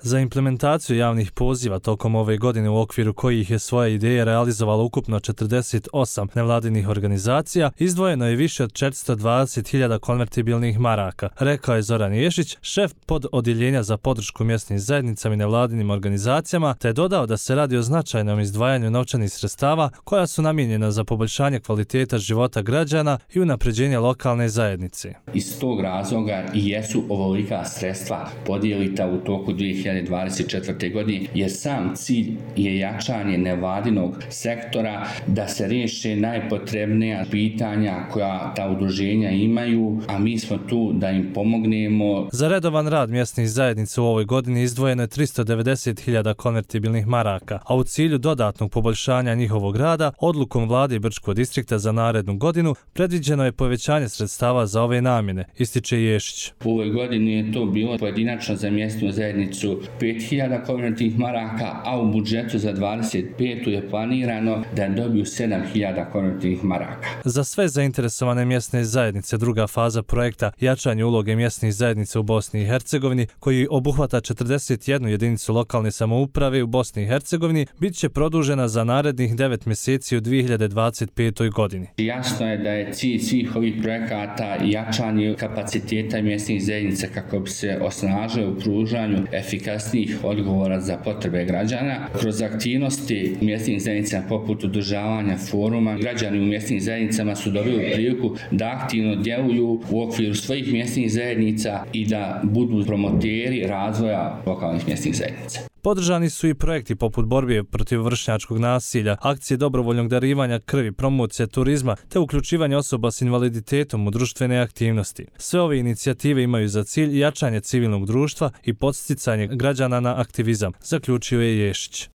Za implementaciju javnih poziva tokom ove godine u okviru kojih je svoje ideje realizovalo ukupno 48 nevladinih organizacija, izdvojeno je više od 420.000 konvertibilnih maraka, rekao je Zoran Ješić, šef pododjeljenja za podršku mjesnim zajednicama i nevladinim organizacijama, te je dodao da se radi o značajnom izdvajanju novčanih sredstava koja su namijenjena za poboljšanje kvaliteta života građana i unapređenje lokalne zajednice. Iz tog razloga i jesu ovolika sredstva podijelita u toku 2024. godine, jer sam cilj je jačanje nevladinog sektora da se riješe najpotrebnija pitanja koja ta udruženja imaju, a mi smo tu da im pomognemo. Za redovan rad mjesnih zajednica u ovoj godini izdvojeno je 390.000 konvertibilnih maraka, a u cilju dodatnog poboljšanja njihovog rada, odlukom vlade Brčkog distrikta za narednu godinu predviđeno je povećanje sredstava za ove namjene, ističe Ješić. U ovoj godini je to bilo pojedinačno za mjesnu zajednicu 5.000 konvertibilnih maraka, a u budžetu za 25. je planirano da dobiju 7.000 konvertibilnih maraka. Za sve zainteresovane mjesne zajednice druga faza projekta jačanje uloge mjesnih zajednica u Bosni i Hercegovini, koji obuhvata 41 jedinicu lokalne samouprave u Bosni i Hercegovini, bit će produžena za narednih 9 mjeseci u 2025. godini. Jasno je da je cilj svih ovih projekata jačanje kapaciteta mjesnih zajednica kako bi se osnažile u pružanju efikasnijih odgovora za potrebe građana. Kroz aktivnosti mjesnih zajednica poput održavanja foruma, građani u mjesnim zajednicama su dobili priliku da aktivno djeluju u okviru svojih mjesnih zajednica i da budu promoteri razvoja lokalnih mjesnih zajednica. Podržani su i projekti poput borbe protiv vršnjačkog nasilja, akcije dobrovoljnog darivanja krvi, promocije turizma te uključivanje osoba s invaliditetom u društvene aktivnosti. Sve ove inicijative imaju za cilj jačanje civilnog društva i podsticanje građana na aktivizam, zaključio je Ješić.